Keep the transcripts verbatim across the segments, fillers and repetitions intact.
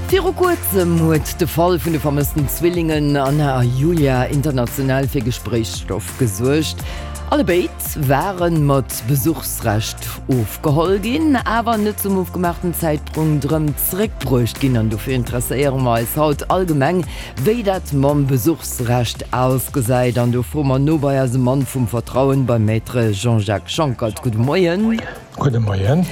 Viru kuerzem huet de Fall vun de vermëssten Zwillingen Anna a Julia international fir Gespréichsstoff gesuergt. Allebéid ware mat Besuchsrecht ofgeholl ginn, awer net zum ofgemaachten Zäitpunkt erëm zeréckbruecht ginn. An dofir interesséiere mer eis haut allgemeng, wéi dat mam Besuchsrecht ausgesäit. An do froe mer no bei eisem Mann vum Vertrauen, beim Maître Jean-Jacques Schonckert. Gudde Moien. Gudde Moien.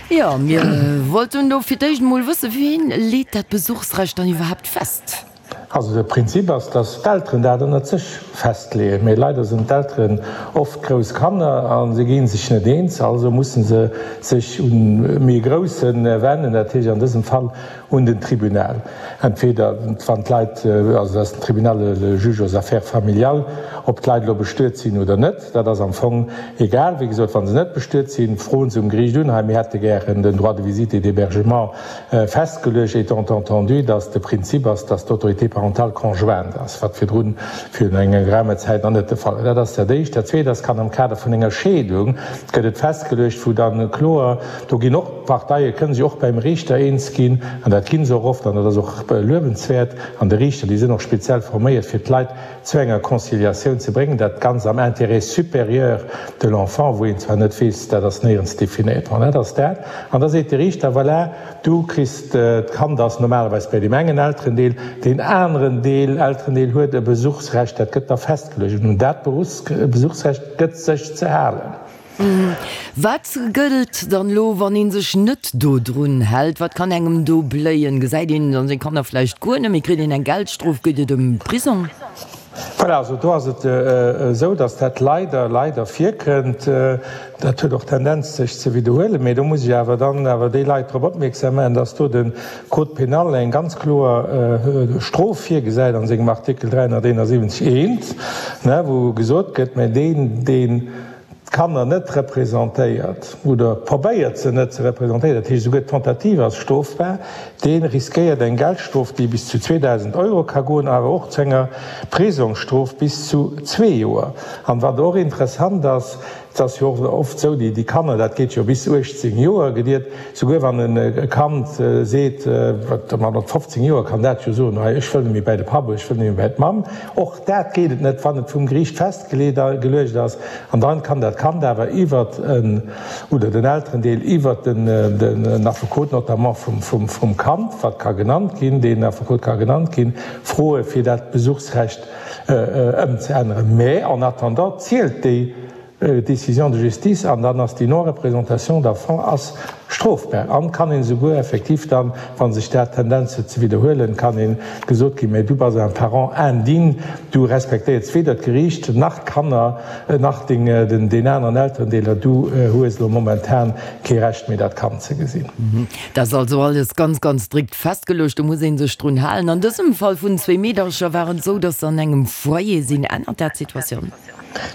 Jo, mir wollten do fir d'éischt emol wëssen, Wien leet dat Besuchsrecht dann iwwerhaapt fest? Also de Prinzip ass, dass d'Elteren dat ënnert sech festleeën. Mee leider sinn d'Elteren oft grouss Kanner a se gi sech net eens. Also musse se sech un méi Grousse wennen, dat heescht an dësem Fall un den Tribunal. Entweder wann d'Leit, also dat ass den Tribunal, le juge aux affaires familiales, ob d'Leit elo bestuet sinn oder net, dat ass am Fong egal. Wéi gesot, wa se net bestuet sinn, froen se um Geriicht un, hei mir hätte gären den Droit de visite et d'hébergement festgeluecht, étant entendu, dass de Prinzip ass, dass d'Autorité parentale conjointe ass, wat virdrun virun enger geraumer Zäit nach net de Fall war. Dat ass dat Éischt. Dat Zweet ass, kann am Kader vun enger Scheedung gëtt et festgeluecht, wou dann kloer, do ginn och d'Parteie kënnen sech och beim Riichter eens ginn, an dat gi se och oft, an dat ass och luewenswäert, an de Riichter, déi sinn och speziell forméiert, fir d'Leit zu enger Conciliatioun ze bréngen, dat Ganzt am Intérêt supérieur de l'enfant, wou een zwar net weess, dat ass néierens definéiert, bon, dat ass dat. An da seet de Riichter, voilà, du kriss, d'Kand ass normalerweis bei deem engen Elterendeel, deen aneren Deel, Elterendeel huet e Besuchsrecht, dat gëtt da festgeluecht, an un dat Besuchsrecht gëtt sech ze halen. Wat gëllt dann elo, wann ee sech net dodrun hält? Wat kann engem do bléien? Gesäit een dann seng Kanner vläicht guer net méi? Kritt een eng Geldstrof? Gëtt et e Prisong? Voilà, also do ass et esou, datt dat leider, leider virkënnt. Dat huet och d'Tendenz sech ze widderhuelen. Mee do muss ech awer dann awer déi Leit drop opmierksam maachen, datt do de Code pénal eng ganz kloer Strof virgesäit a sengem Artikel dräihonnerteenasiwwenzeg eent, wou gesot gëtt, mä deen, deen d'Kanner net representéiert oder probéiert se net ze representéieren, dat heescht esouguer d'Tentative ass strofbar, dee riskéiert eng Geldstrof, déi bis zu zweedausend Euro ka goen, awer och zu enger Prisongsstrof bis zu zwee Joer. An wat och interessant ass, et ass jo och oft esou, déi Kanner, dat geet jo bis uechtzéng Joer gediert, souguer wann e Kand seet, wat mat fofzéng Joer kann dat jo soen, hei ech wëll net méi bäi de Papp oder ech wëll net méi bäi d'Mamm, och dat geet et net, wann et vum Geriicht festgeleet geluecht ass. An dann kann dat Kand awer iwwert en oder den Elterendeel iwwert den den Affekot notamment vum vum vum Kand, wat ka genannt ginn, deen Affekot ka genannt ginn, froe fir dat Besuchsrecht ëmzeänneren. Mä en attendant zielt déi Décision de justice an dann ass déi Non-représentation d'enfant ass strofbar an kann een esouguer effektiv dann, wa sech dat Tendenz huet ze widderhuelen, kann een gesot ginn, mä du bass un parent indigne, du respektéiers weder d'Geriicht nach d'Kanner nach deng, den, deen aneren Elterendeeler, du hues elo momentan kee Recht méi dat Kand ze gesinn. Dat ass also alles ganz, ganz strikt festgeluecht, do muss ee sech drun halen. An dësem Fall vun zwee Meedercher war et esou, dass se an engem Foyer sinn. Ännert dat d'Situatioun?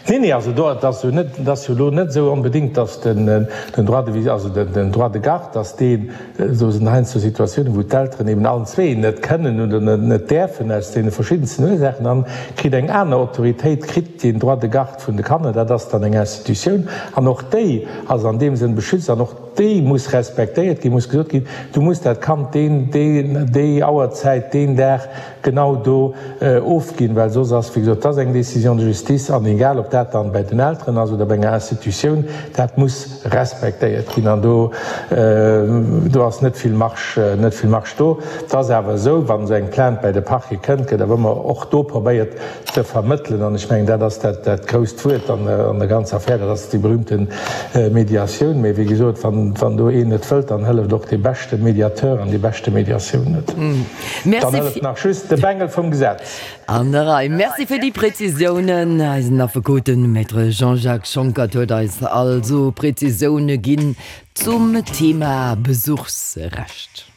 Nee, nee, also do, et ass jo net, et ass jo elo net esou onbedéngt, datt den, den Droit de visite, also den, den Droit de garde, datt deen, do sinn heiansdo Situatiounen, wou d'Elteren eben allen zwee net kënnen oder net, net däerfen aus deene verschiddensten Ursaachen, dann kritt eng aner Autoritéit kritt den Droit de garde vun de Kanner, dat ass dann eng Institutioun an och déi ass an deem Sënn beschützt an och déi muss respektéiert ginn, muss gesot ginn, du muss dat Kand deen, deen, déi Auerzäit, deen Dag genau do ofginn, well soss ass, wéi gesot, dat ass eng Décision de justice an egal ob dat dann bei den Elteren ass oder bei enger Institutioun, dat muss respektéiert ginn an do, do ass net vill Marge, net vill Marge do. Et ass awer esou, wann esou eng Plainte bei de Parquet kënnt, gëtt awer ëmmer och do probéiert ze vermëttelen an ech mengen, dat ass dat, dat grousst Wuert an der ganzer Affär, dat ass déi berühmte Mediatioun. Mee wéi gesot, wann, wann do een net wëllt, dann hëlleft och dee beschte Mediateur an déi beschte Mediatioun net. Dann hëlleft nach just de Bengel vum Gesetz. An der Rei. Merci fir déi Präzisiounen. Eisen Affekot, de Maître Jean-Jacques Schonckert, huet eis also Präzisioune ginn zum Thema Besuchsrecht.